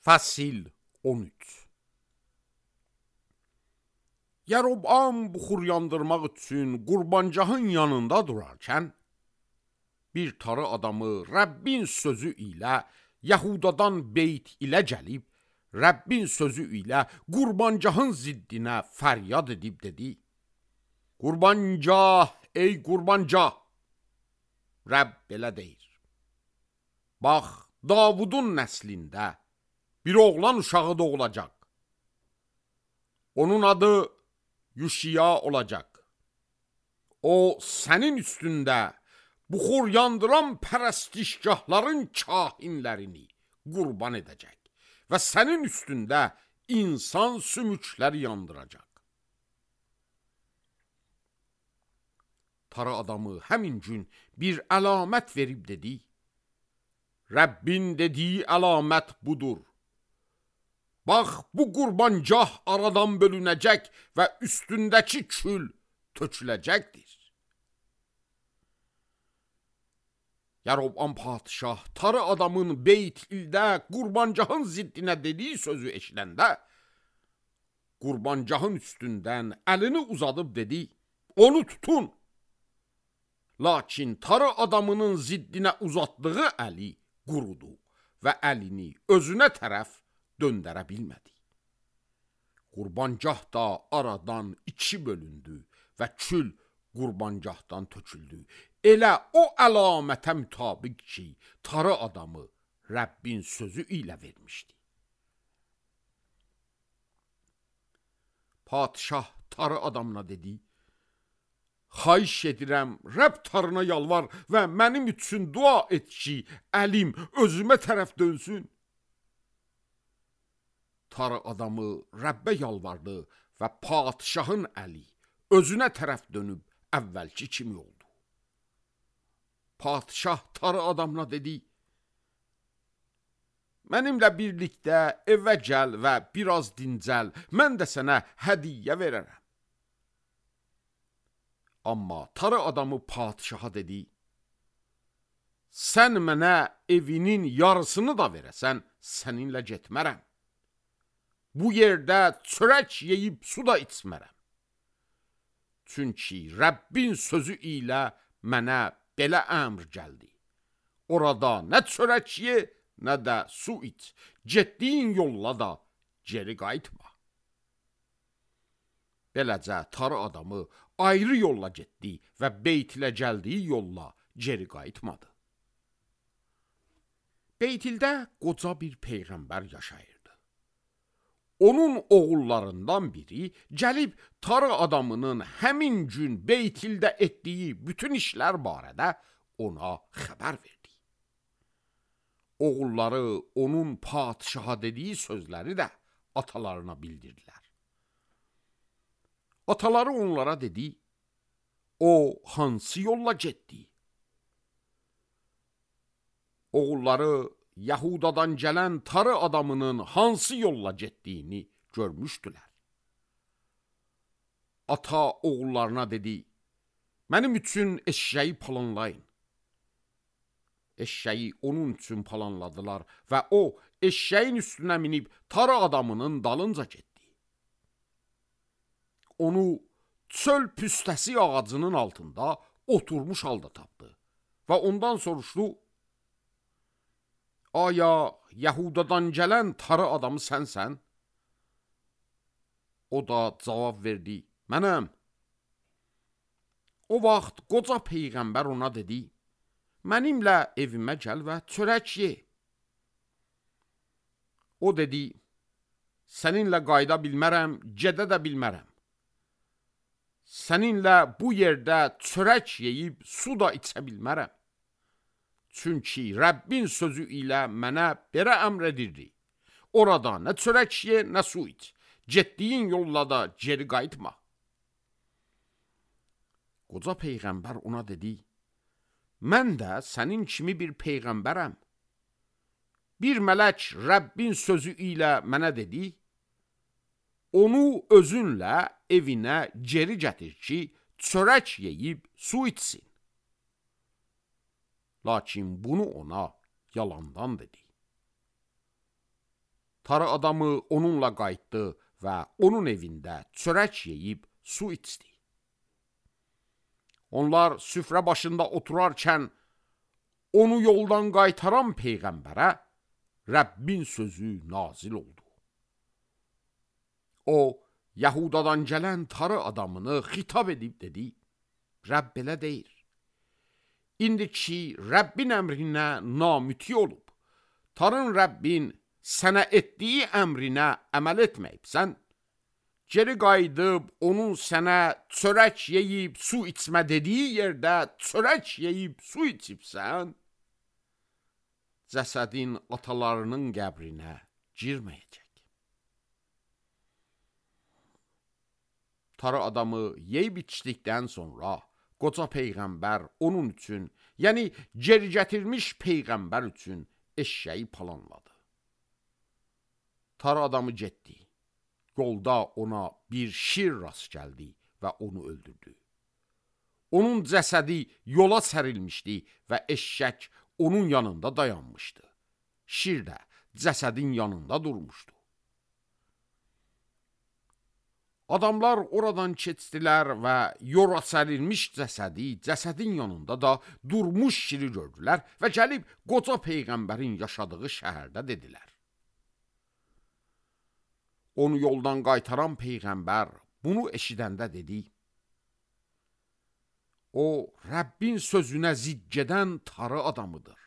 Fəsil 13. Yeroboam buxur yandırmaq üçün qurbancahın yanında durarkən, bir tarı adamı Rəbbin sözü ilə Yahudadan beyt ilə gəlib, Rəbbin sözü ilə qurbancahın ziddinə fəryad edib dedi: Qurbancah, ey qurbancah! Rəbb belə deyir: Bax, Davudun nəslində bir oğlan uşağı doğulacaq. Onun adı Yuşiya olacaq. O, sənin üstündə buxur yandıran pərəstişgahların kahinlərini qurban edəcək və sənin üstündə insan sümükləri yandıracaq. Tarı adamı həmin gün bir əlamət verib dedi: Rəbbin dediyi əlamət budur. Bax, bu qurbancah aradan bölünəcək və üstündəki kül töküləcəkdir. Yeroboam padişah tarı adamın beyt-ildə qurbancahın ziddinə dediyi sözü eşidəndə, qurbancahın üstündən əlini uzadıb dedi: Onu tutun. Lakin tarı adamının ziddinə uzatdığı əli qurudu və əlini özünə tərəf döndərə bilmədi. Qurbancah da aradan iki bölündü və kül qurbancahdan töküldü. Elə o əlamətə mütabiq ki, tarı adamı Rəbbin sözü ilə vermişdi. Padişah tarı adamına dedi: Xahiş edirəm, Rəbb tarına yalvar və mənim üçün dua et ki, əlim özümə tərəf dönsün. Tarı adamı Rəbbə yalvardı və padişahın əli özünə tərəf dönüb əvvəlki kimi oldu. Padişah tarı adamına dedi: Mənimlə birlikdə evə gəl və biraz dincəl, mən də sənə hədiyyə verərəm. Amma tarı adamı padişaha dedi: Sən mənə evinin yarısını da verəsən, səninlə getmərəm. Bu yerdə çörək yeyib su da içmərəm. Çünki Rəbbin sözü ilə mənə belə əmr gəldi: Orada nə çörək ye, nə də su iç, getdiyin yolla da geri qayıtma. Beləcə tarı adamı ayrı yolla getdi və beytilə gəldiyi yolla geri qayıtmadı. Beytildə qoca bir peyğəmbər yaşayırdı. Onun oğullarından biri gəlib tarı adamının həmin gün beytildə etdiyi bütün işlər barədə ona xəbər verdi. Oğulları onun padişaha dediyi sözləri də atalarına bildirdilər. Ataları onlara dedi: O hansı yolla getdi? Oğulları Yahudadan gələn tarı adamının hansı yolla getdiyini görmüşdülər. Ata oğullarına dedi: Mənim üçün eşşəyi palanlayın. Eşşəyi onun üçün palanladılar və o eşşəyin üstünə minib tarı adamının dalınca getdi. Onu çöl püstəsi ağacının altında oturmuş halda tapdı və ondan soruşdu: Aya Yahudadan gələn tarı adamı sənsən? O da cavab verdi: Mənəm. O vaxt qoca peyğəmbər ona dedi: Mənimlə evimə gəl və çörək ye. O dedi: Səninlə qayıda bilmərəm, gedə də bilmərəm. Səninlə bu yerdə çörək yeyib su da içə bilmərəm. Çünki Rəbbin sözü ilə mənə belə əmr edirdi: Orada nə çörək ye, nə su iç, getdiyin yolla da geri qayıtma. Qoca peyğəmbər ona dedi: Mən də sənin kimi bir peyğəmbərəm. Bir mələk Rəbbin sözü ilə mənə dedi: Onu özünlə evinə geri gətir ki, çörək yeyib su içsin. Lakin bunu ona yalandan dedi. Tarı adamı onunla qayıtdı və onun evində çörək yeyib su içdi. Onlar süfrə başında oturarkən onu yoldan qaytaran Peyğəmbərə Rəbbin sözü nazil oldu. O, Yahudadan gələn tarı adamını xitab edib dedi, Rəbb belə deyir, İndi ki, Rəbbin əmrinə namüti olub, tarın Rəbbin sənə etdiyi əmrinə əməl etməyibsən, geri qayıdıb onun sənə çörək yeyib su içmə dediyi yerdə çörək yeyib su içibsən, cəsədin atalarının qəbrinə girməyəcək. Tarı adamı yeyib içdikdən sonra qoca Peyğəmbər onun üçün, yəni geri gətirmiş Peyğəmbər üçün eşşəyi planladı. Tarı adamı getdi. Yolda ona bir şir rast gəldi və onu öldürdü. Onun cəsədi yola sərilmişdi və eşşək onun yanında dayanmışdı. Şir də cəsədin yanında durmuşdu. Adamlar oradan keçdilər və yola sərilmiş cəsədin yanında da durmuş şiri gördülər və gəlib qoca Peyğəmbərin yaşadığı şəhərdə dedilər. Onu yoldan qaytaran Peyğəmbər bunu eşidəndə dedi, o, Rəbbin sözünə zidd gedən tarı adamıdır.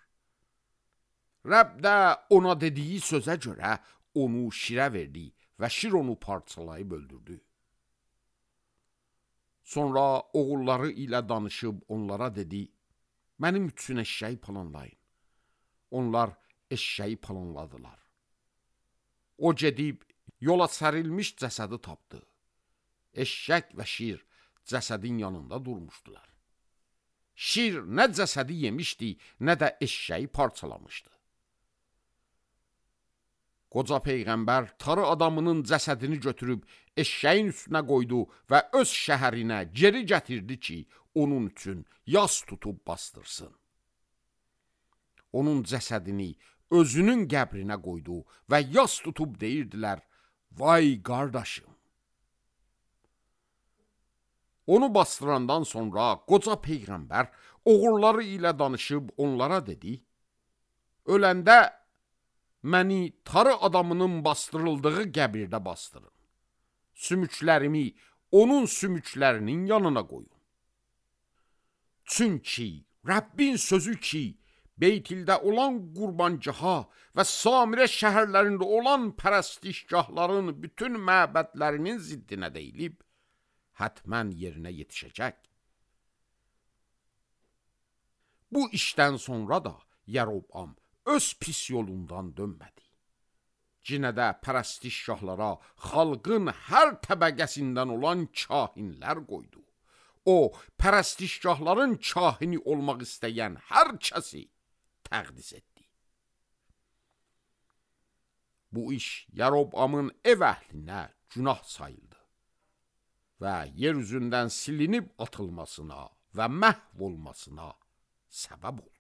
Rəbb də ona dediyi sözə görə onu şirə verdi və şir onu parçalayıb öldürdü. Sonra oğulları ilə danışıb onlara dedi, mənim üçün eşşəyi planlayın. Onlar eşşəyi planladılar. O gedib yola sərilmiş cəsədi tapdı. Eşşək və şir cəsədin yanında durmuşdular. Şir nə cəsədi yemişdi, nə də eşşəyi parçalamışdı. Qoca Peyğəmbər tarı adamının cəsədini götürüb eşşəyin üstünə qoydu və öz şəhərinə geri gətirdi ki, onun üçün yas tutub bastırsın. Onun cəsədini özünün qəbrinə qoydu və yas tutub deyirdilər, vay qardaşım. Onu bastırandan sonra qoca Peyğəmbər oğulları ilə danışıb onlara dedi, öləndə məni tarı adamının bastırıldığı qəbirdə bastırın. Sümüklərimi onun sümüklərinin yanına qoyun. Çünki Rəbbin sözü ki, Beytildə olan qurbancaha və Samirə şəhərlərində olan pərəstişgahların bütün məbədlərinin ziddinə deyilib, hətmən yerinə yetişəcək. Bu işdən sonra da Yaroboam öz pis yolundan dönmədi. Cinə də pərəstişgahlara xalqın hər təbəqəsindən olan kahinlər qoydu. O, pərəstişgahların kahini olmaq istəyən hər kəsi təqdis etdi. Bu iş Yaroboamın ev əhlinə günah sayıldı və yer üzündən silinib atılmasına və məhv olmasına səbəb oldu.